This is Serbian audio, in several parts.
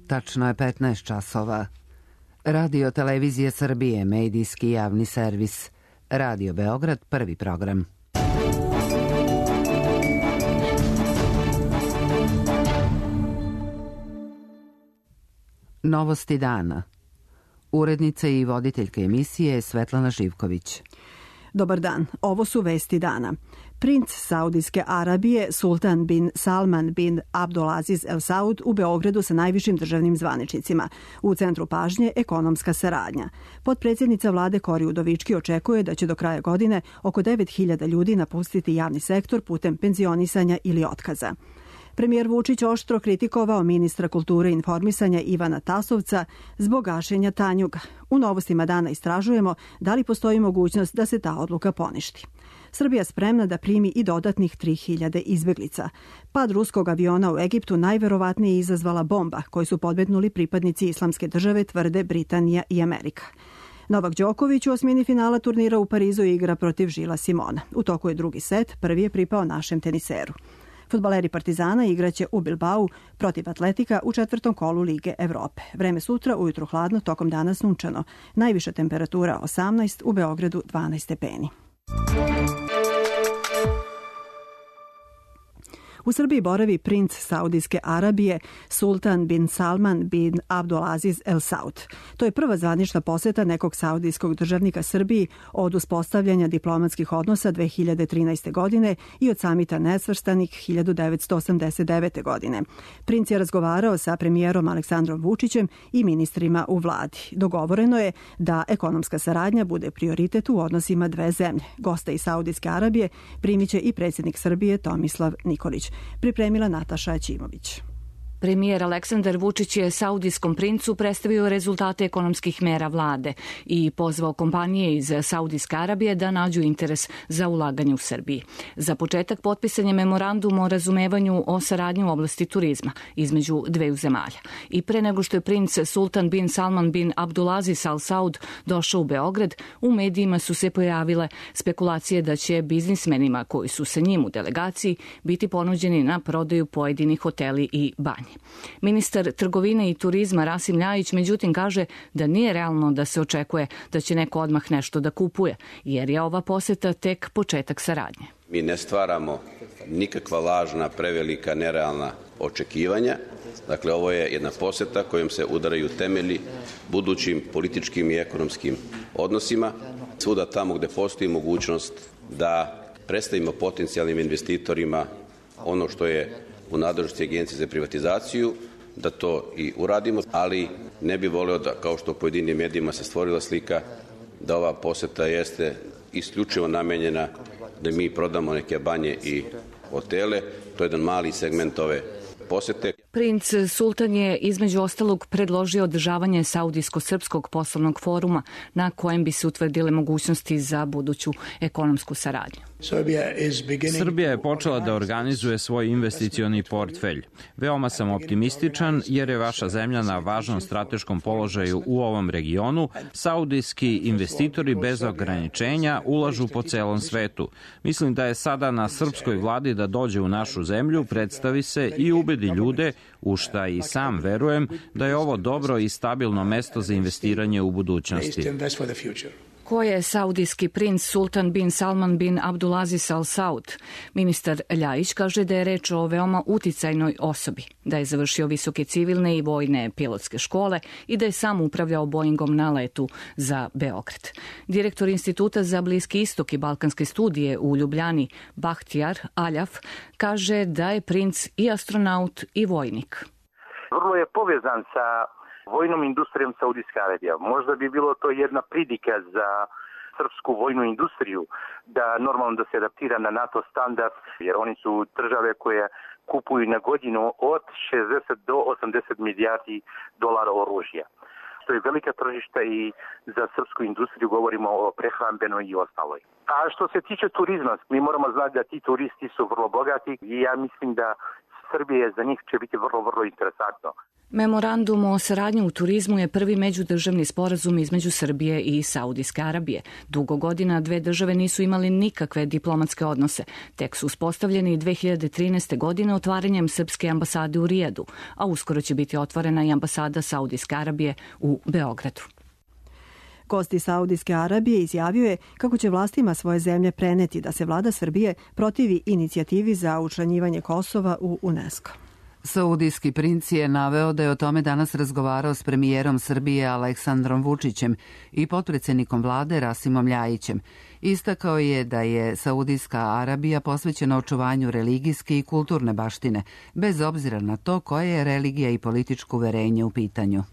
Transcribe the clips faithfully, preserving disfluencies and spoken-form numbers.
Tačno je petnaest časova. Radio Televizije Srbije, medijski javni servis. Radio Beograd, prvi program. Novosti dana. Urednica i voditeljka emisije Svetlana Živković. Dobar dan, ovo su vesti dana. Princ Saudijske Arabije Sultan bin Salman bin Abdulaziz El Saud u Beogradu sa najvišim državnim zvaničnicima. U centru pažnje ekonomska saradnja. Potpredsjednica vlade Kori Udovički očekuje da će do kraja godine oko devet hiljada ljudi napustiti javni sektor putem penzionisanja ili otkaza. Premijer Vučić oštro kritikovao ministra kulture i informisanja Ivana Tasovca zbog gašenja Tanjuga. U novostima dana istražujemo da li postoji mogućnost da se ta odluka poništi. Srbija spremna da primi i dodatnih tri hiljade izbeglica. Pad ruskog aviona u Egiptu najverovatnije je izazvala bomba koju su podmetnuli pripadnici Islamske države, tvrde Britanija i Amerika. Novak Đoković u osmini finala turnira u Parizu igra protiv Žila Simona. U toku je drugi set, prvi je pripao našem teniseru. Fudbaleri Partizana igraće u Bilbao protiv Atletika u četvrtom kolu Lige Evrope. Vreme sutra, ujutru hladno, tokom dana sunčano. Najviša temperatura osamnaest, u Beogradu dvanaest stepeni. U Srbiji boravi princ Saudijske Arabije Sultan bin Salman bin Abdulaziz El Saud. To je prva zvanična poseta nekog saudijskog državnika Srbiji od uspostavljanja diplomatskih odnosa dve hiljade trinaeste. godine i od samita nesvrstanih hiljadu devetsto osamdeset devete. godine. Princ je razgovarao sa premijerom Aleksandrom Vučićem i ministrima u vladi. Dogovoreno je da ekonomska saradnja bude prioritet u odnosima dve zemlje. Gosta iz Saudijske Arabije primiće i predsjednik Srbije Tomislav Nikolić. Pripremila Nataša Ćimović. Premijer Aleksandar Vučić je saudijskom princu predstavio rezultate ekonomskih mera vlade i pozvao kompanije iz Saudijske Arabije da nađu interes za ulaganje u Srbiji. Za početak potpisan je memorandum o razumevanju o saradnji u oblasti turizma između dveju zemalja. I pre nego što je princ Sultan bin Salman bin Abdulaziz Al Saud došao u Beograd, u medijima su se pojavile spekulacije da će biznismenima koji su sa njim u delegaciji biti ponuđeni na prodaju pojedini hoteli i banje. Ministar trgovine i turizma Rasim Ljajić međutim kaže da nije realno da se očekuje da će neko odmah nešto da kupuje, jer je ova poseta tek početak saradnje. Mi ne stvaramo nikakva lažna, prevelika, nerealna očekivanja. Dakle, ovo je jedna poseta kojom se udaraju temelji budućim političkim i ekonomskim odnosima. Svuda tamo gde postoji mogućnost da predstavimo potencijalnim investitorima ono što je u nadležnosti Agencije za privatizaciju, da to i uradimo, ali ne bi voleo da, kao što u pojedinim medijima se stvorila slika, da ova poseta jeste isključivo namenjena da mi prodamo neke banje i hotele. To je jedan mali segment ove posete. Princ Sultan je između ostalog predložio održavanje Saudijsko-srpskog poslovnog foruma na kojem bi se utvrdile mogućnosti za buduću ekonomsku saradnju. Srbija je počela da organizuje svoj investicioni portfelj. Veoma sam optimističan jer je vaša zemlja na važnom strateškom položaju u ovom regionu. Saudijski investitori bez ograničenja ulažu po celom svetu. Mislim da je sada na srpskoj vladi da dođe u našu zemlju, predstavi se i ubedi ljude, u šta i sam verujem, da je ovo dobro i stabilno mesto za investiranje u budućnosti. Ko je saudijski princ Sultan bin Salman bin Abdulaziz Al Saud? Ministar Ljajić kaže da je reč o veoma uticajnoj osobi, da je završio visoke civilne i vojne pilotske škole i da je sam upravljao Boeingom na letu za Beograd. Direktor Instituta za Bliski istok i balkanske studije u Ljubljani, Bahtijar Aljaf, kaže da je princ i astronaut i vojnik. Vrlo je povezan sa vojnom industrijom Saudijske Arabije. Možda bi bilo to jedna pridika za srpsku vojnu industriju, da normalno da se adaptira na NATO standard, jer oni su države koje kupuju na godinu od šezdeset do osamdeset milijardi dolara oružja. To je velika tržišta i za srpsku industriju, govorimo o prehrambenoj i ostaloj. A što se tiče turizma, mi moramo znati da ti turisti su vrlo bogati i ja mislim da Srbije za njih će biti vrlo, vrlo interesantno. Memorandum o saradnji u turizmu je prvi međudržavni sporazum između Srbije i Saudijske Arabije. Dugo godina dve države nisu imali nikakve diplomatske odnose. Tek su uspostavljeni dve hiljade trinaeste. godine otvaranjem srpske ambasade u Rijadu, a uskoro će biti otvorena i ambasada Saudijske Arabije u Beogradu. Gost iz Saudijske Arabije izjavio je kako će vlastima svoje zemlje preneti da se vlada Srbije protivi inicijativi za učlanjivanje Kosova u UNESCO. Saudijski princ je naveo da je o tome danas razgovarao s premijerom Srbije Aleksandrom Vučićem i potpredsjednikom vlade Rasimom Ljajićem. Istakao je da je Saudijska Arabija posvećena očuvanju religijske i kulturne baštine, bez obzira na to koje je religija i političko uverenje u pitanju.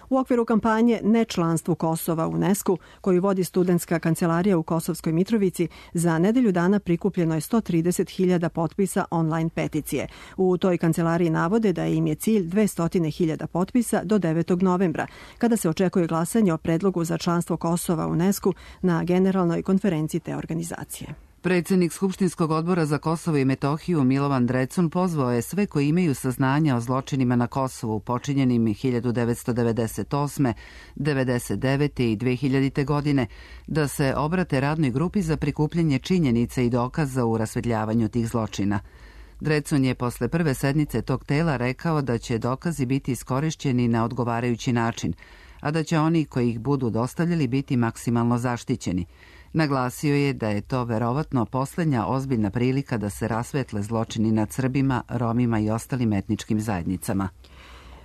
U okviru kampanje Nečlanstvu Kosova u UNESCO, koju vodi studentska kancelarija u Kosovskoj Mitrovici, za nedelju dana prikupljeno je sto trideset hiljada potpisa online peticije. U toj kancelariji navode da im je cilj dvesta hiljada potpisa do devetog novembra, kada se očekuje glasanje o predlogu za članstvo Kosova u UNESCO na generalnoj konferenciji te organizacije. Predsjednik Skupštinskog odbora za Kosovo i Metohiju Milovan Drecun pozvao je sve koji imaju saznanja o zločinima na Kosovu počinjenim hiljadu devetsto devedeset osme, devedeset devete i dve hiljadite. godine da se obrate radnoj grupi za prikupljanje činjenica i dokaza u rasvetljavanju tih zločina. Drecun je posle prve sednice tog tela rekao da će dokazi biti iskorišćeni na odgovarajući način, a da će oni koji ih budu dostavljali biti maksimalno zaštićeni. Naglasio je da je to verovatno poslednja ozbiljna prilika da se rasvetle zločini nad Srbima, Romima i ostalim etničkim zajednicama.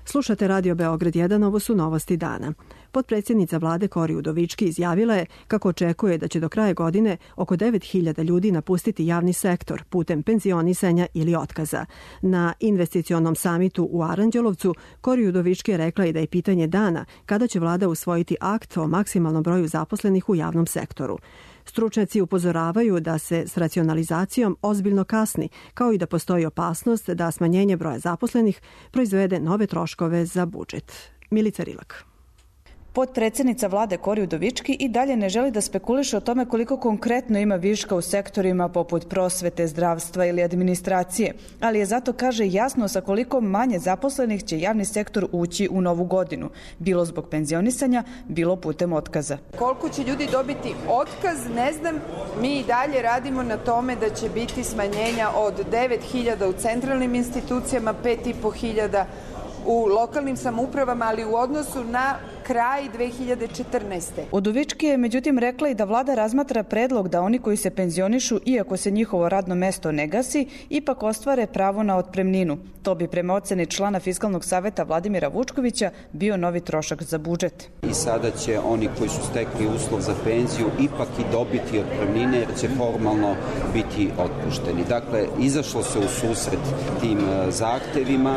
Slušate Radio Beograd jedan, ovo su novosti dana. Potpredsjednica vlade Kori Udovički izjavila je kako očekuje da će do kraja godine oko devet hiljada ljudi napustiti javni sektor putem penzionisanja ili otkaza. Na investicionom samitu u Aranđelovcu Kori Udovički je rekla i da je pitanje dana kada će vlada usvojiti akt o maksimalnom broju zaposlenih u javnom sektoru. Stručnjaci upozoravaju da se s racionalizacijom ozbiljno kasni, kao i da postoji opasnost da smanjenje broja zaposlenih proizvede nove troškove za budžet. Milica Rilak. Potpredsjednica vlade Kori Udovički i dalje ne želi da spekuliše o tome koliko konkretno ima viška u sektorima poput prosvete, zdravstva ili administracije, ali je zato, kaže, jasno sa koliko manje zaposlenih će javni sektor ući u novu godinu, bilo zbog penzionisanja, bilo putem otkaza. Koliko će ljudi dobiti otkaz, ne znam, mi i dalje radimo na tome da će biti smanjenja od devet hiljada u centralnim institucijama, pet i po hiljada u lokalnim samoupravama, ali u odnosu na kraj dve hiljade četrnaeste. Udovički je međutim rekla i da vlada razmatra predlog da oni koji se penzionišu, iako se njihovo radno mesto ne gasi, ipak ostvare pravo na otpremninu. To bi prema oceni člana Fiskalnog saveta Vladimira Vučkovića bio novi trošak za budžet. I sada će oni koji su stekli uslov za penziju ipak i dobiti otpremnine jer će formalno biti otpušteni. Dakle, izašlo se u susret tim zahtevima,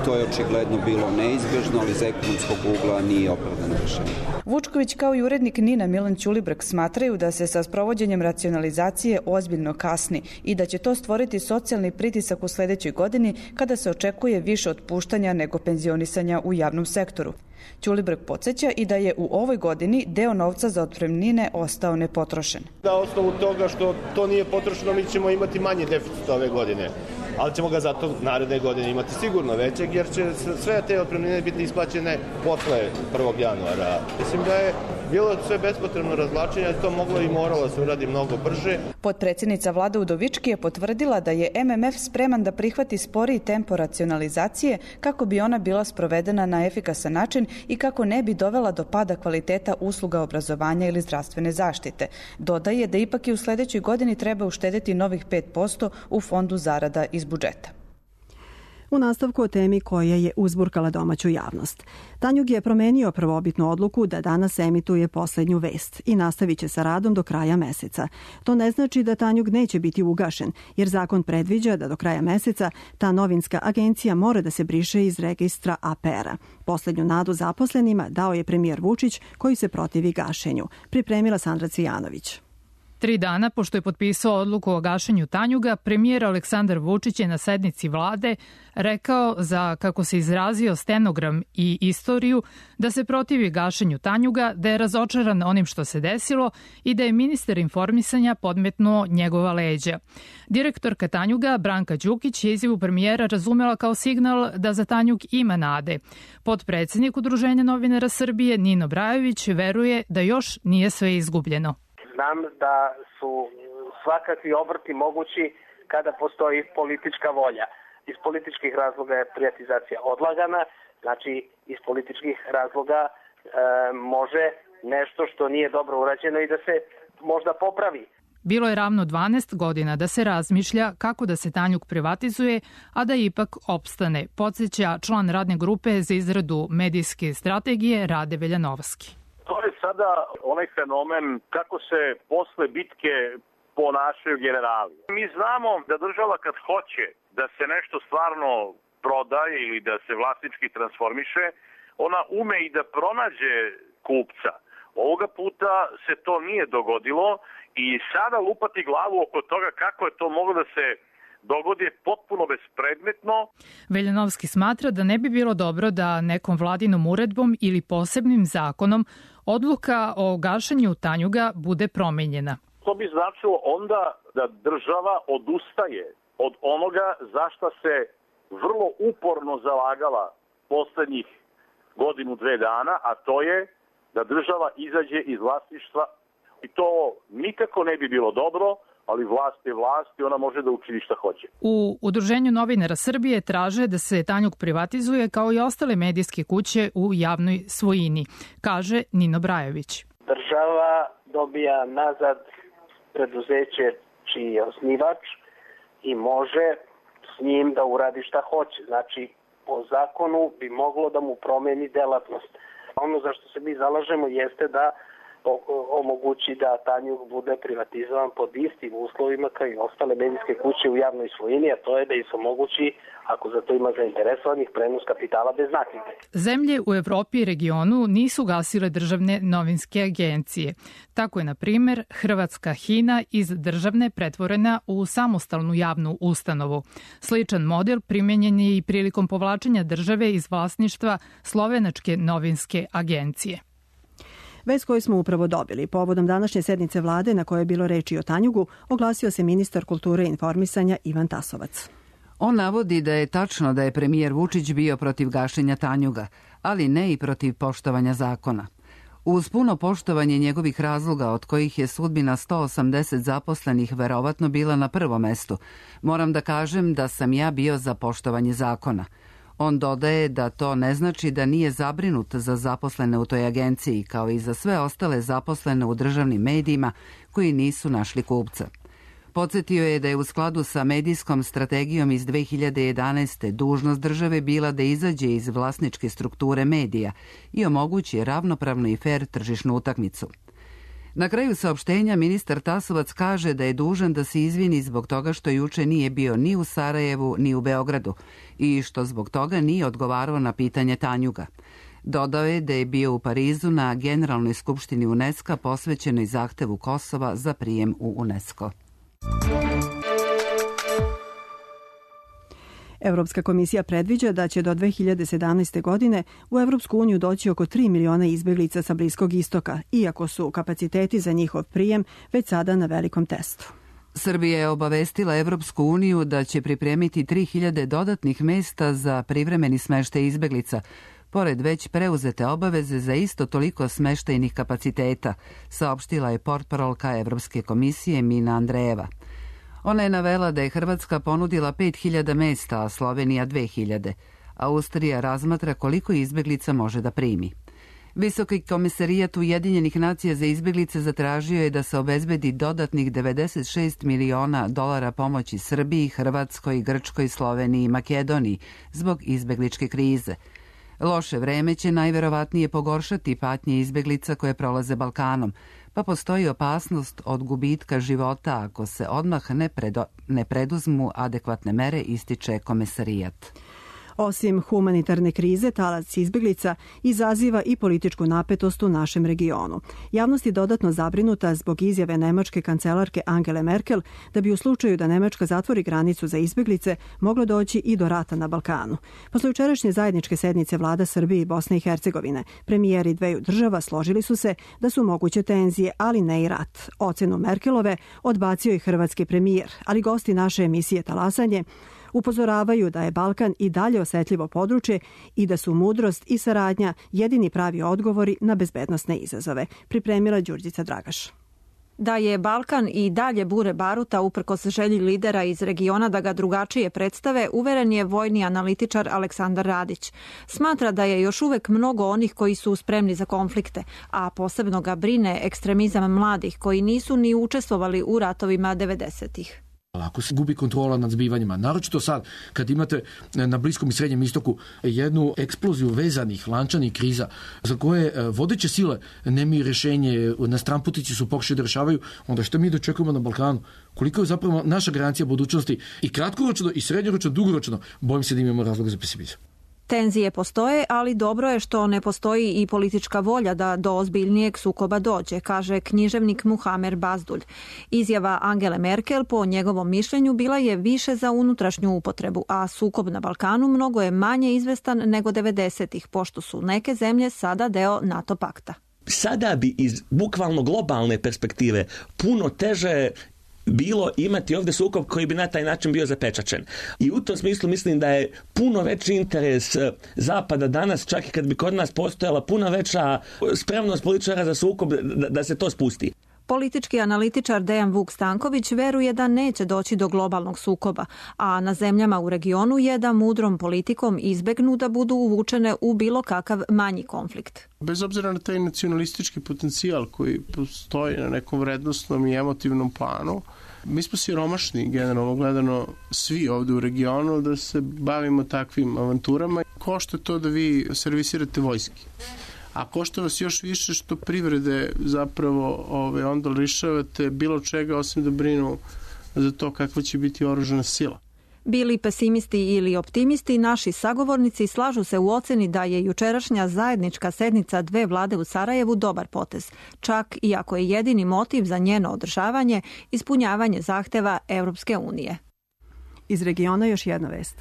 to je očigledno bilo neizbežno, ali iz ekonomskog ugla nije opravdano rešenje. Vučković kao i urednik NIN-a Milan Ćulibrk smatraju da se sa sprovođenjem racionalizacije ozbiljno kasni i da će to stvoriti socijalni pritisak u sledećoj godini kada se očekuje više otpuštanja nego penzionisanja u javnom sektoru. Ćulibrk podsjeća i da je u ovoj godini deo novca za otpremnine ostao nepotrošen. Na osnovu toga što to nije potrošeno, mi ćemo imati manje deficita ove godine, ali ćemo ga zato naredne godine imati sigurno većeg, jer će sve te otpremnine biti isplaćene posle prvog januara. Mislim da je bilo sve bespotrebno razvlačenje, to moglo i moralo se uradi mnogo brže. Potpredsjednica vlade Udovički je potvrdila da je M M F spreman da prihvati sporiji tempo racionalizacije kako bi ona bila sprovedena na efikasan način i kako ne bi dovela do pada kvaliteta usluga obrazovanja ili zdravstvene zaštite. Dodaje da ipak i u sledećoj godini treba uštedeti novih pet posto u fondu zarada iz budžeta. U nastavku o temi koja je uzburkala domaću javnost. Tanjug je promenio prvobitnu odluku da danas emituje poslednju vest i nastavit će sa radom do kraja meseca. To ne znači da Tanjug neće biti ugašen, jer zakon predviđa da do kraja meseca ta novinska agencija mora da se briše iz registra A P R-a. Poslednju nadu zaposlenima dao je premijer Vučić, koji se protivi gašenju. Pripremila Sandra Cvijanović. Tri dana pošto je potpisao odluku o gašenju Tanjuga, premijer Aleksandar Vučić je na sednici vlade rekao za, kako se izrazio, stenogram i istoriju, da se protivi gašenju Tanjuga, da je razočaran onim što se desilo i da je ministar informisanja podmetnuo njegova leđa. Direktorka Tanjuga, Branka Đukić, je izjavu premijera razumela kao signal da za Tanjug ima nade. Potpredsednik Udruženja novinara Srbije, Nino Brajović, veruje da još nije sve izgubljeno. Znam da su svakakvi obrti mogući kada postoji politička volja. Iz političkih razloga je privatizacija odlagana, znači iz političkih razloga e, može nešto što nije dobro urađeno i da se možda popravi. Bilo je ravno dvanaest godina da se razmišlja kako da se Tanjug privatizuje, a da ipak opstane, podsjeća član radne grupe za izradu medijske strategije Rade Veljanovski. To je sada onaj fenomen kako se posle bitke ponašaju generali. Mi znamo da država kad hoće da se nešto stvarno prodaje ili da se vlasnički transformiše, ona ume i da pronađe kupca. Ovoga puta se to nije dogodilo i sada lupati glavu oko toga kako je to moglo da se dogodi je potpuno bespredmetno. Veljanovski smatra da ne bi bilo dobro da nekom vladinom uredbom ili posebnim zakonom odluka o gašenju Tanjuga bude promenjena. To bi značilo onda da država odustaje od onoga za šta se vrlo uporno zalagala poslednjih godinu, dve dana, a to je da država izađe iz vlasništva i to nikako ne bi bilo dobro, ali vlast je vlast i ona može da učini šta hoće. U Udruženju novinara Srbije traže da se Tanjug privatizuje kao i ostale medijske kuće u javnoj svojini, kaže Nino Brajović. Država dobija nazad preduzeće čiji je osnivač i može s njim da uradi šta hoće. Znači, po zakonu bi moglo da mu promeni delatnost. Ono za što se mi zalažemo jeste da omogući da Tanjug bude privatizovan pod istim uslovima kao i ostale medijske kuće u javnoj svojini, a to je da im se omogući, ako za to ima zainteresovanih, prenos kapitala bez naknade. Zemlje u Evropi i regionu nisu gasile državne novinske agencije. Tako je, na primer, hrvatska Hina iz državne pretvorena u samostalnu javnu ustanovu. Sličan model primenjen je i prilikom povlačenja države iz vlasništva slovenačke novinske agencije. Vest koju smo upravo dobili povodom današnje sednice vlade na kojoj je bilo reči o Tanjugu, oglasio se ministar kulture i informisanja Ivan Tasovac. On navodi da je tačno da je premijer Vučić bio protiv gašenja Tanjuga, ali ne i protiv poštovanja zakona. Uz puno poštovanje njegovih razloga, od kojih je sudbina sto osamdeset zaposlenih verovatno bila na prvom mestu, moram da kažem da sam ja bio za poštovanje zakona. On dodaje da to ne znači da nije zabrinut za zaposlene u toj agenciji, kao i za sve ostale zaposlene u državnim medijima koji nisu našli kupca. Podsjetio je da je u skladu sa medijskom strategijom iz dve hiljade jedanaeste. dužnost države bila da izađe iz vlasničke strukture medija i omogući ravnopravnu i fer tržišnu utakmicu. Na kraju saopštenja ministar Tasovac kaže da je dužan da se izvini zbog toga što juče nije bio ni u Sarajevu ni u Beogradu i što zbog toga nije odgovarao na pitanje Tanjuga. Dodao je da je bio u Parizu na Generalnoj skupštini UNESCO posvećenoj zahtevu Kosova za prijem u UNESCO. Evropska komisija predviđa da će do dve hiljade sedamnaeste. godine u Evropsku uniju doći oko tri miliona izbeglica sa Bliskog istoka, iako su kapaciteti za njihov prijem već sada na velikom testu. Srbija je obavestila Evropsku uniju da će pripremiti tri hiljade dodatnih mesta za privremeni smeštaj izbeglica, pored već preuzete obaveze za isto toliko smeštajnih kapaciteta, saopštila je portparolka Evropske komisije Mina Andrejeva. Ona je navela da je Hrvatska ponudila pet hiljada mesta, a Slovenija dve hiljade. Austrija razmatra koliko izbeglica može da primi. Visoki komisarijat Ujedinjenih nacija za izbeglice zatražio je da se obezbedi dodatnih devedeset šest miliona dolara pomoći Srbiji, Hrvatskoj, Grčkoj, Sloveniji i Makedoniji zbog izbegličke krize. Loše vreme će najverovatnije pogoršati patnje izbeglica koje prolaze Balkanom, pa postoji opasnost od gubitka života ako se odmah ne, predo, ne preduzmu adekvatne mere, ističe komesarijat. Osim humanitarne krize, talac izbeglica izaziva i političku napetost u našem regionu. Javnost je dodatno zabrinuta zbog izjave nemačke kancelarke Angele Merkel da bi u slučaju da Nemačka zatvori granicu za izbeglice moglo doći i do rata na Balkanu. Posle jučerašnje zajedničke sednice vlada Srbije i Bosne i Hercegovine, premijeri dveju država složili su se da su moguće tenzije, ali ne i rat. Ocenu Merkelove odbacio i hrvatski premijer, ali gosti naše emisije Talasanje upozoravaju da je Balkan i dalje osetljivo područje i da su mudrost i saradnja jedini pravi odgovori na bezbednosne izazove. Pripremila Đurđica Dragaš. Da je Balkan i dalje bure baruta uprkos želji lidera iz regiona da ga drugačije predstave, uveren je vojni analitičar Aleksandar Radić. Smatra da je još uvek mnogo onih koji su spremni za konflikte, a posebno ga brine ekstremizam mladih koji nisu ni učestvovali u ratovima devedesetih. Ako se gubi kontrola nad zbivanjima, naročito sad kad imate na Bliskom i Srednjem istoku jednu eksploziju vezanih lančanih kriza za koje vodeće sile nemaju rješenje, na stranputici su pokušali da rešavaju, onda što mi dočekujemo na Balkanu? Koliko je zapravo naša garancija budućnosti i kratkoročno i srednjoročno, dugoročno, bojim se da imamo razloga za pesimizam. Tenzije postoje, ali dobro je što ne postoji i politička volja da do ozbiljnijeg sukoba dođe, kaže književnik Muhamer Bazdulj. Izjava Angele Merkel po njegovom mišljenju bila je više za unutrašnju upotrebu, a sukob na Balkanu mnogo je manje izvestan nego devedesetih, pošto su neke zemlje sada deo NATO pakta. Sada bi iz bukvalno globalne perspektive puno teže bilo imati ovdje sukob koji bi na taj način bio zapečačen. I u tom smislu mislim da je puno veći interes Zapada danas, čak i kad bi kod nas postojala puno veća spremnost političara za sukob, da, da se to spusti. Politički analitičar Dejan Vuk Stanković veruje da neće doći do globalnog sukoba, a na zemljama u regionu je da mudrom politikom izbegnu da budu uvučene u bilo kakav manji konflikt. Bez obzira na taj nacionalistički potencijal koji postoji na nekom vrednostnom i emotivnom planu, mi smo siromašni, generalno gledano, svi ovdje u regionu da se bavimo takvim avanturama. Košta to da vi servisirate vojski. A košta vas još više što privrede zapravo ove, onda lišavate bilo čega osim da brinu za to kakva će biti oružana sila. Bili pesimisti ili optimisti, naši sagovornici slažu se u oceni da je jučerašnja zajednička sednica dve vlade u Sarajevu dobar potez, čak i ako je jedini motiv za njeno održavanje ispunjavanje zahteva Europske unije. Iz regiona još jedna vest.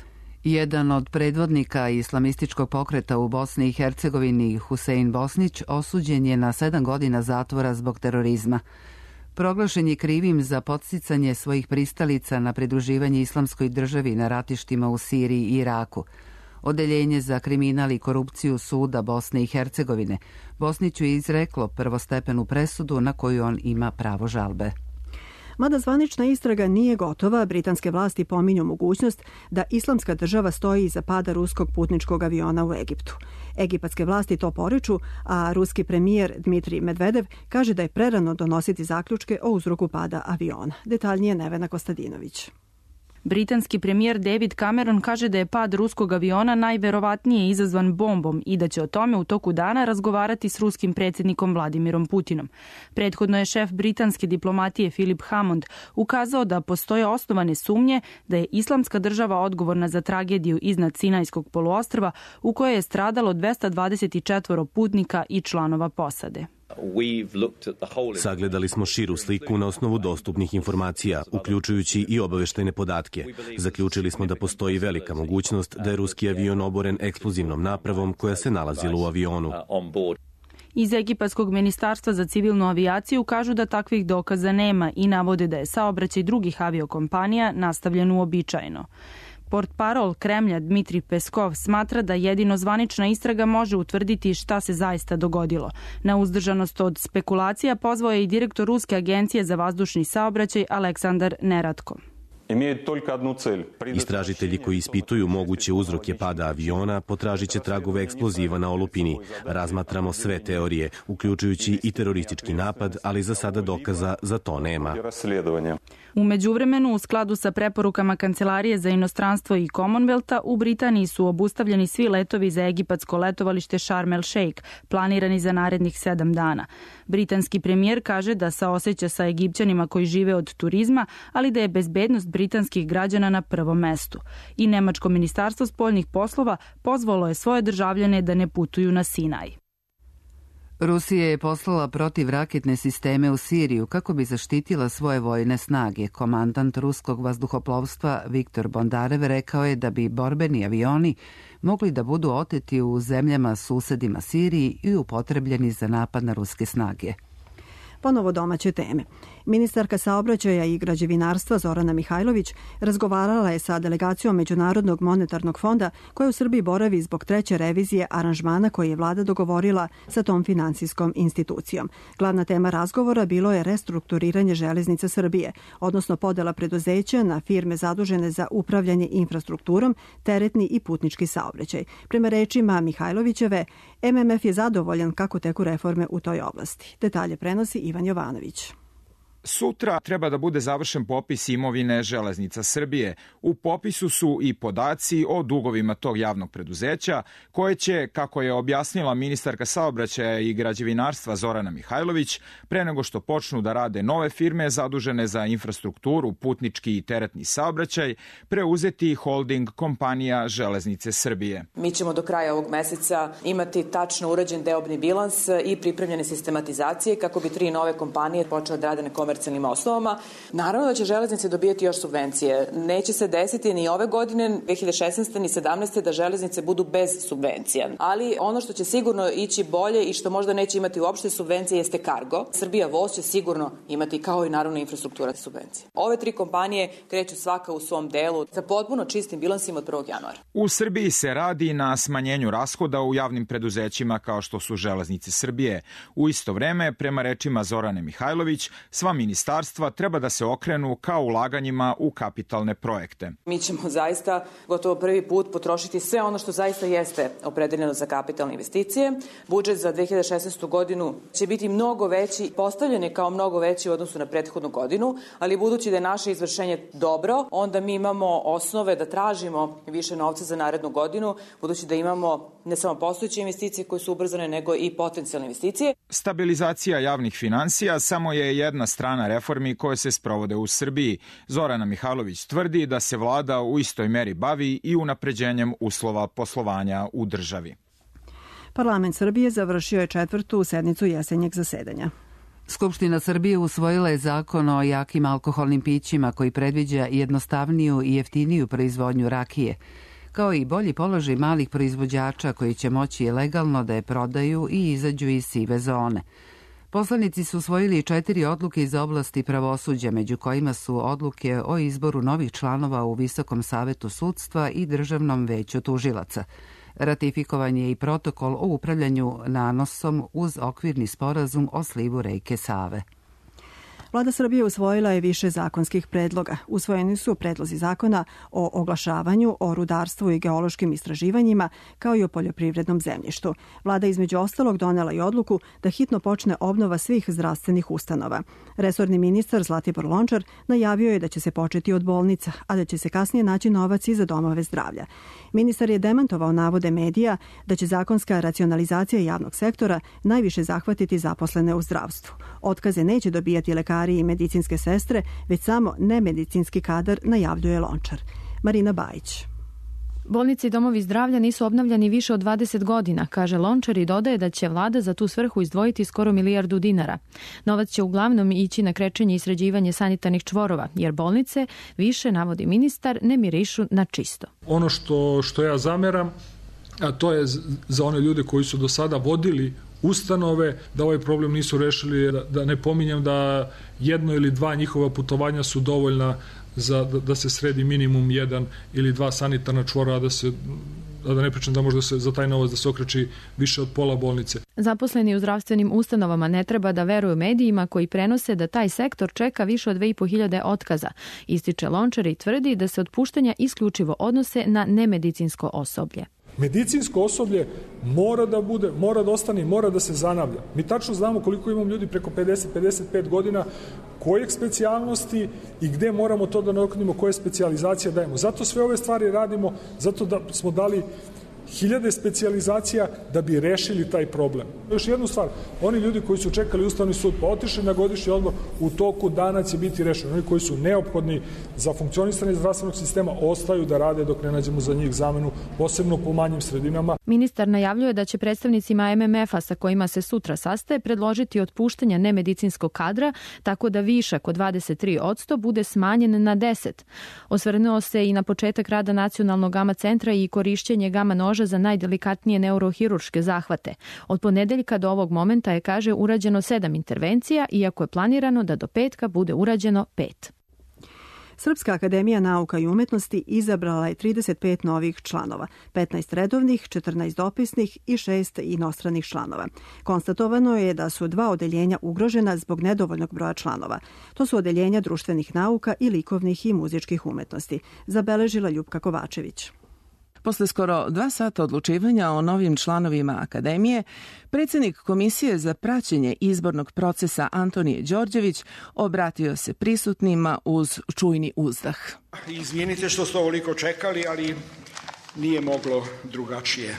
Jedan od predvodnika islamističkog pokreta u Bosni i Hercegovini, Husein Bosnić, osuđen je na sedam godina zatvora zbog terorizma. Proglašen je krivim za podsticanje svojih pristalica na pridruživanje islamskoj državi na ratištima u Siriji i Iraku. Odeljenje za kriminal i korupciju suda Bosne i Hercegovine Bosniću je izreklo prvostepenu presudu na koju on ima pravo žalbe. Mada zvanična istraga nije gotova, britanske vlasti pominju mogućnost da islamska država stoji iza pada ruskog putničkog aviona u Egiptu. Egipatske vlasti to poriču, a ruski premijer Dmitrij Medvedev kaže da je prerano donositi zaključke o uzroku pada aviona. Detaljnije Nevena Kostadinović. Britanski premijer David Cameron kaže da je pad ruskog aviona najverovatnije izazvan bombom i da će o tome u toku dana razgovarati s ruskim predsjednikom Vladimirom Putinom. Prethodno je šef britanske diplomatije Philip Hammond ukazao da postoje osnovane sumnje da je islamska država odgovorna za tragediju iznad Sinajskog poluostrva u kojoj je stradalo dvesta dvadeset četiri putnika i članova posade. Sagledali smo širu sliku na osnovu dostupnih informacija, uključujući i obaveštajne podatke. Zaključili smo da postoji velika mogućnost da je ruski avion oboren eksplozivnom napravom koja se nalazila u avionu. Iz Egipatskog ministarstva za civilnu avijaciju kažu da takvih dokaza nema i navode da je saobraćaj drugih aviokompanija nastavljen uobičajeno. Portparol Kremlja Dmitrij Peskov smatra da jedino zvanična istraga može utvrditi šta se zaista dogodilo. Na uzdržanost od spekulacija pozvao je i direktor Ruske agencije za vazdušni saobraćaj Aleksandar Neratko. Istražitelji koji ispituju moguće uzroke pada aviona potražit će tragove eksploziva na olupini. Razmatramo sve teorije, uključujući i teroristički napad, ali za sada dokaza za to nema. U međuvremenu, u skladu sa preporukama Kancelarije za inostranstvo i Commonwealtha, u Britaniji su obustavljeni svi letovi za egipatsko letovalište Sharm el Sheikh, planirani za narednih sedam dana. Britanski premijer kaže da saoseća sa Egipćanima koji žive od turizma, ali da je bezbednost britanskih građana na prvom mestu. I Nemačko ministarstvo spoljnih poslova pozvalo je svoje državljane da ne putuju na Sinaj. Rusija je poslala protivraketne sisteme u Siriju kako bi zaštitila svoje vojne snage. Komandant ruskog vazduhoplovstva Viktor Bondarev rekao je da bi borbeni avioni mogli da budu oteti u zemljama susedima Siriji i upotrebljeni za napad na ruske snage. Ponovo domaće teme. Ministarka saobraćaja i građevinarstva Zorana Mihajlović razgovarala je sa delegacijom Međunarodnog monetarnog fonda koja u Srbiji boravi zbog treće revizije aranžmana koji je vlada dogovorila sa tom finansijskom institucijom. Glavna tema razgovora bilo je restrukturiranje Železnica Srbije, odnosno podela preduzeća na firme zadužene za upravljanje infrastrukturom, teretni i putnički saobraćaj. Prema rečima Mihajlovićeve, M M F je zadovoljan kako teku reforme u toj oblasti. Detalje prenosi Ivan Jovanović. Sutra treba da bude završen popis imovine Železnica Srbije. U popisu su i podaci o dugovima tog javnog preduzeća, koje će, kako je objasnila ministarka saobraćaja i građevinarstva Zorana Mihajlović, pre nego što počnu da rade nove firme zadužene za infrastrukturu, putnički i teretni saobraćaj, preuzeti holding kompanija Železnice Srbije. Mi ćemo do kraja ovog meseca imati tačno urađen deobni bilans i pripremljene sistematizacije kako bi tri nove kompanije počele da rade na komercijalnim osnovama. Naravno da će železnice dobijati još subvencije. Neće se desiti ni ove godine, dve hiljade šesnaeste ni sedamnaeste da železnice budu bez subvencija. Ali ono što će sigurno ići bolje i što možda neće imati uopšte subvencije jeste Cargo. Srbija voz će sigurno imati, kao i naravno infrastruktura, subvencije. Ove tri kompanije kreću svaka u svom delu sa potpuno čistim bilansima od prvog januara. U Srbiji se radi na smanjenju rashoda u javnim preduzećima kao što su Železnice Srbije. U isto vreme, prema rečima Zorane Mihajlović, sva ministarstva treba da se okrenu ka ulaganjima u kapitalne projekte. Mi ćemo zaista gotovo prvi put potrošiti sve ono što zaista jeste opredeljeno za kapitalne investicije. Budžet za dve hiljade šesnaestu godinu će biti mnogo veći, postavljen je kao mnogo veći u odnosu na prethodnu godinu, ali budući da je naše izvršenje dobro, onda mi imamo osnove da tražimo više novca za narednu godinu, budući da imamo ne samo postojeće investicije koje su ubrzane, nego i potencijalne investicije. Stabilizacija javnih finansija samo je jedna strana reformi koje se sprovode u Srbiji. Zorana Mihajlović tvrdi da se vlada u istoj meri bavi i unapređenjem uslova poslovanja u državi. Parlament Srbije završio je četvrtu sednicu jesenjeg zasedanja. Skupština Srbije usvojila je zakon o jakim alkoholnim pićima koji predviđa jednostavniju i jeftiniju proizvodnju rakije, kao i bolji položaj malih proizvođača koji će moći legalno da je prodaju i izađu iz sive zone. Poslanici su usvojili četiri odluke iz oblasti pravosuđa, među kojima su odluke o izboru novih članova u Visokom savetu sudstva i Državnom veću tužilaca. Ratifikovan je i protokol o upravljanju nanosom uz okvirni sporazum o slivu reke Save. Vlada Srbije usvojila je više zakonskih predloga. Usvojeni su predlozi zakona o oglašavanju, o rudarstvu i geološkim istraživanjima, kao i o poljoprivrednom zemljištu. Vlada između ostalog donela i odluku da hitno počne obnova svih zdravstvenih ustanova. Resorni ministar Zlatibor Lončar najavio je da će se početi od bolnica, a da će se kasnije naći novac i za domove zdravlja. Ministar je demantovao navode medija da će zakonska racionalizacija javnog sektora najviše zahvatiti zaposlene u zdravstvu. Otkaze neće dobijati lekari i medicinske sestre, već samo nemedicinski kadar, najavljuje Lončar. Marina Bajić. Bolnice i domovi zdravlja nisu obnavljani više od dvadeset godina, kaže Lončar i dodaje da će vlada za tu svrhu izdvojiti skoro milijardu dinara. Novac će uglavnom ići na krečenje i sređivanje sanitarnih čvorova, jer bolnice, više navodi ministar, ne mirišu na čisto. Ono što, što ja zameram, a to je za one ljude koji su do sada vodili ustanove, da ovaj problem nisu rešili, da ne pominjem da jedno ili dva njihova putovanja su dovoljna za da, da se sredi minimum jedan ili dva sanitarna čvora, da se a da ne pričam da možda se za taj novac da se okreći više od pola bolnice. Zaposleni u zdravstvenim ustanovama ne treba da veruju medijima koji prenose da taj sektor čeka više od dve i po hiljade otkaza. Ističe Lončar i tvrdi da se otpuštanja isključivo odnose na nemedicinsko osoblje. Medicinsko osoblje mora da bude, mora da ostane, mora da se zanavlja. Mi tačno znamo koliko imamo ljudi preko pedeset do pedeset pet godina, kojeg specijalnosti i gde moramo to da nadoknadimo, koje specijalizacije dajemo. Zato sve ove stvari radimo, zato da smo dali hiljade specijalizacija da bi rešili taj problem. Još jednu stvar, oni ljudi koji su čekali Ustavni sud pa otišli na godišnji odmor, u toku dana će biti rešeni. Oni koji su neophodni za funkcionisanje zdravstvenog sistema ostaju da rade dok ne nađemo za njih zamenu, posebno po manjim sredinama. Ministar najavljuje da će predstavnicima M M F-a sa kojima se sutra sastaje predložiti otpuštanje nemedicinskog kadra, tako da višak od dvadeset tri posto bude smanjen na deset. Osvrnuo se i na početak rada Nacionalnog gama centra i korišćenje gama noža za najdelikatnije neurohirurške zahvate. Od ponedeljka do ovog momenta je, kaže, urađeno sedam intervencija, iako je planirano da do petka bude urađeno pet. Srpska akademija nauka i umetnosti izabrala je trideset pet novih članova, petnaest redovnih, četrnaest dopisnih i šest inostranih članova. Konstatovano je da su dva odeljenja ugrožena zbog nedovoljnog broja članova. To su odeljenja društvenih nauka i likovnih i muzičkih umetnosti, zabeležila Ljupka Kovačević. Posle skoro dva sata odlučivanja o novim članovima Akademije, predsjednik Komisije za praćenje izbornog procesa Antonije Đorđević obratio se prisutnima uz čujni uzdah. Izvinite što ste ovoliko čekali, ali nije moglo drugačije.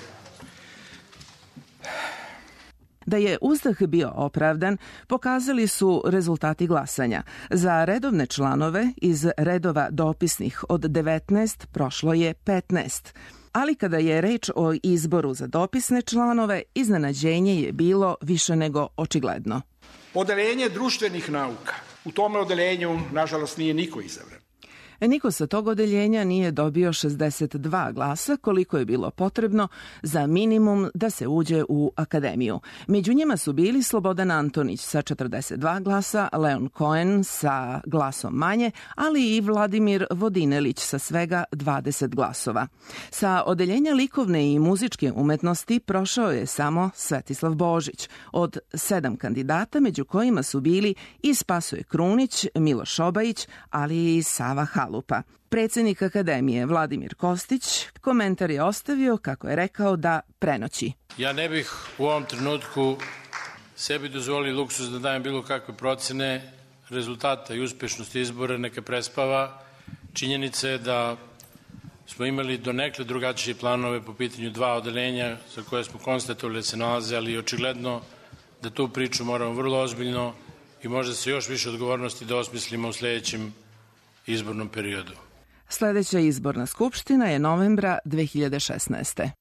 Da je uzdah bio opravdan, pokazali su rezultati glasanja. Za redovne članove iz redova dopisnih od devetnaest prošlo je petnaest. Ali kada je reč o izboru za dopisne članove, iznenađenje je bilo više nego očigledno. Odeljenje društvenih nauka. U tome odeljenju, nažalost, nije niko izabran. Niko sa tog odeljenja nije dobio šezdeset dva glasa, koliko je bilo potrebno za minimum da se uđe u akademiju. Među njima su bili Slobodan Antonić sa četrdeset dva glasa, Leon Cohen sa glasom manje, ali i Vladimir Vodinelić sa svega dvadeset glasova. Sa odeljenja likovne i muzičke umetnosti prošao je samo Svetislav Božić. Od sedam kandidata, među kojima su bili i Spasoje Krunić, Miloš Obajić, ali i Sava Halupa. Predsjednik Akademije Vladimir Kostić komentar je ostavio, kako je rekao, da prenoći. Ja ne bih u ovom trenutku sebi dozvolio luksuz da dajem bilo kakve procene rezultata i uspešnosti izbora, neka prespava. Činjenica je da smo imali donekle drugačije planove po pitanju dva odeljenja za koje smo konstatovali da se nalaze, ali očigledno da tu priču moramo vrlo ozbiljno i možda se još više odgovornosti da osmislimo u sljedećem izbornom periodu. Sljedeća izborna skupština je novembra dve hiljade šesnaeste.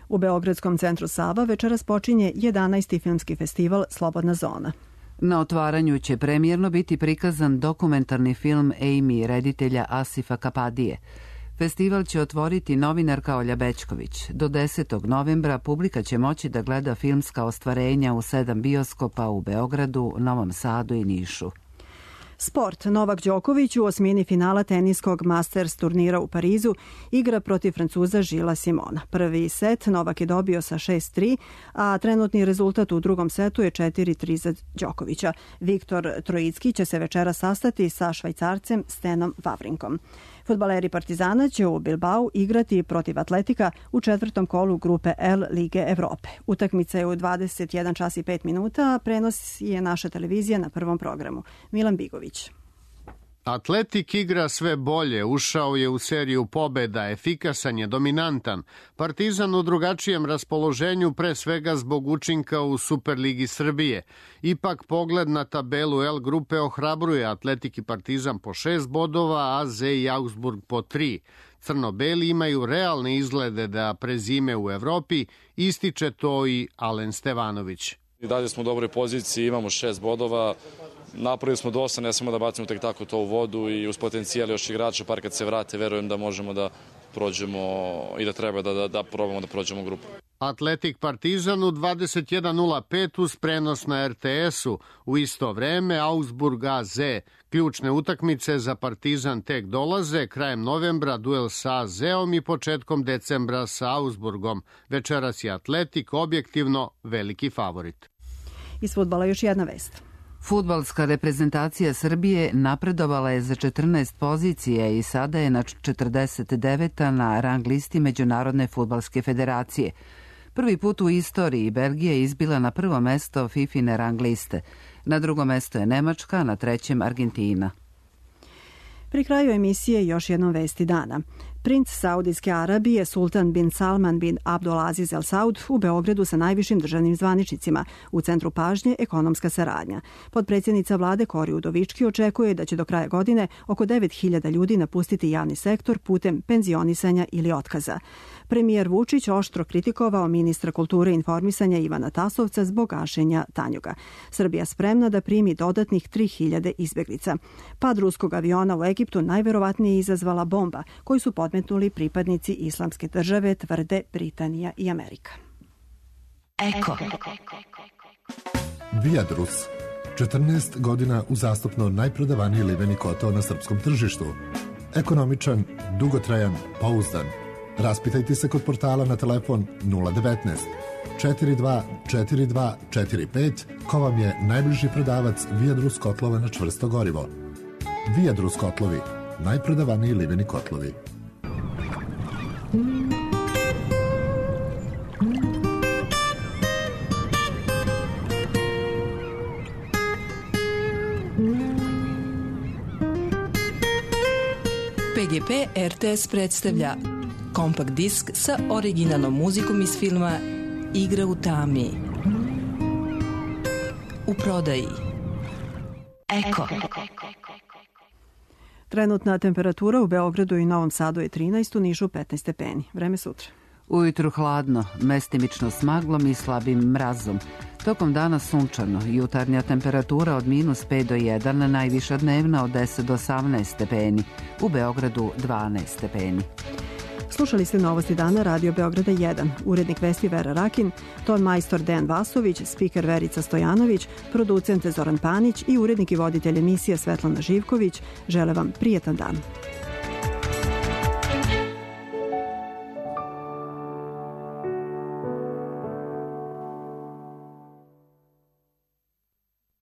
U Beogradskom centru Sava večeras počinje jedanaesti filmski festival Slobodna zona. Na otvaranju će premijerno biti prikazan dokumentarni film Amy reditelja Asifa Kapadije. Festival će otvoriti novinarka Olja Bećković. Do desetog novembra publika će moći da gleda filmska ostvarenja u sedam bioskopa u Beogradu, Novom Sadu i Nišu. Sport. Novak Đoković u osmini finala teniskog Masters turnira u Parizu igra protiv Francuza Žila Simona. Prvi set Novak je dobio sa šest tri, a trenutni rezultat u drugom setu je četiri tri za Đokovića. Viktor Trojicki će se večera sastati sa Švajcarcem Stenom Vavrinkom. Fudbaleri Partizana će u Bilbao igrati protiv Atletika u četvrtom kolu grupe L Lige Evrope. Utakmica je u dvadeset jedan čas i pet minuta, a prenos je naša televizija na prvom programu. Milan Bigović. Atletik igra sve bolje, ušao je u seriju pobeda, efikasan je, dominantan. Partizan u drugačijem raspoloženju, pre svega zbog učinka u Superligi Srbije. Ipak pogled na tabelu L grupe ohrabruje Atletik i Partizan po šest bodova, a Z i Augsburg po tri. Crno-beli imaju realne izglede da prezime u Evropi, ističe to i Alen Stevanović. I dalje smo u dobroj poziciji, imamo šest bodova. Napravili smo dosta, ne samo da bacimo tek tako to u vodu i uz potencijal još igrača, par kad se vrate, verujem da možemo da prođemo i da treba da, da, da probamo da prođemo grupu. Atletik Partizan u dvadeset jedan nula pet uz prenos na R T S-u. U isto vreme Augsburg A Z. Ključne utakmice za Partizan tek dolaze, krajem novembra duel sa A Z-om i početkom decembra sa Augsburgom. Večeras je Atletik objektivno veliki favorit. Iz fudbala još jedna vest. Fudbalska reprezentacija Srbije napredovala je za četrnaest pozicije i sada je na četrdeset deveta na rang listi Međunarodne fudbalske federacije. Prvi put u istoriji Belgija je izbila na prvo mesto Fifine rang liste. Na drugo mesto je Nemačka, a na trećem Argentina. Pri kraju emisije još jednom vesti dana. Princ Saudijske Arabije Sultan bin Salman bin Abdulaziz Al Saud u Beogradu sa najvišim državnim zvaničnicima. U centru pažnje ekonomska saradnja. Podpredsjednica vlade Kori Udovički očekuje da će do kraja godine oko devet hiljada ljudi napustiti javni sektor putem penzionisanja ili otkaza. Premijer Vučić oštro kritikovao ministra kulture i informisanja Ivana Tasovca zbog gašenja Tanjuga. Srbija spremna da primi dodatnih tri hiljade izbeglica. Pad ruskog aviona u Egiptu najverovatnije izazvala bomba koju su podmetnuli pripadnici Islamske države, tvrde Britanija i Amerika. Eko. Viadrus. četrnaest godina uzastopno najprodavaniji liveni kotao na srpskom tržištu. Ekonomičan, dugotrajan, pouzdan. Raspitajte se kod portala na telefon nula devetnaest četiri dva četiri dva četiri pet ko vam je najbliži prodavac Viadrus kotlova na čvrsto gorivo. Viadrus kotlovi, najprodavaniji liveni kotlovi. P G P R T S predstavlja kompakt disk sa originalnom muzikom iz filma Igra u tami. U prodaji. Eko. Trenutna temperatura u Beogradu i Novom Sadu je trinaest, u Nišu petnaest stepeni. Vreme sutra. Ujutru hladno, mestimično s maglom i slabim mrazom. Tokom dana sunčano, jutarnja temperatura od minus pet do jedan, najviša dnevna od deset do osamnaest stepeni. U Beogradu dvanaest stepeni. Slušali ste Novosti dana Radio Beograda jedan. Urednik vesti Vera Rakin, ton majstor Dejan Vasović, spiker Verica Stojanović, producent Zoran Panić i urednik i voditelj emisije Svetlana Živković. Žele vam prijetan dan.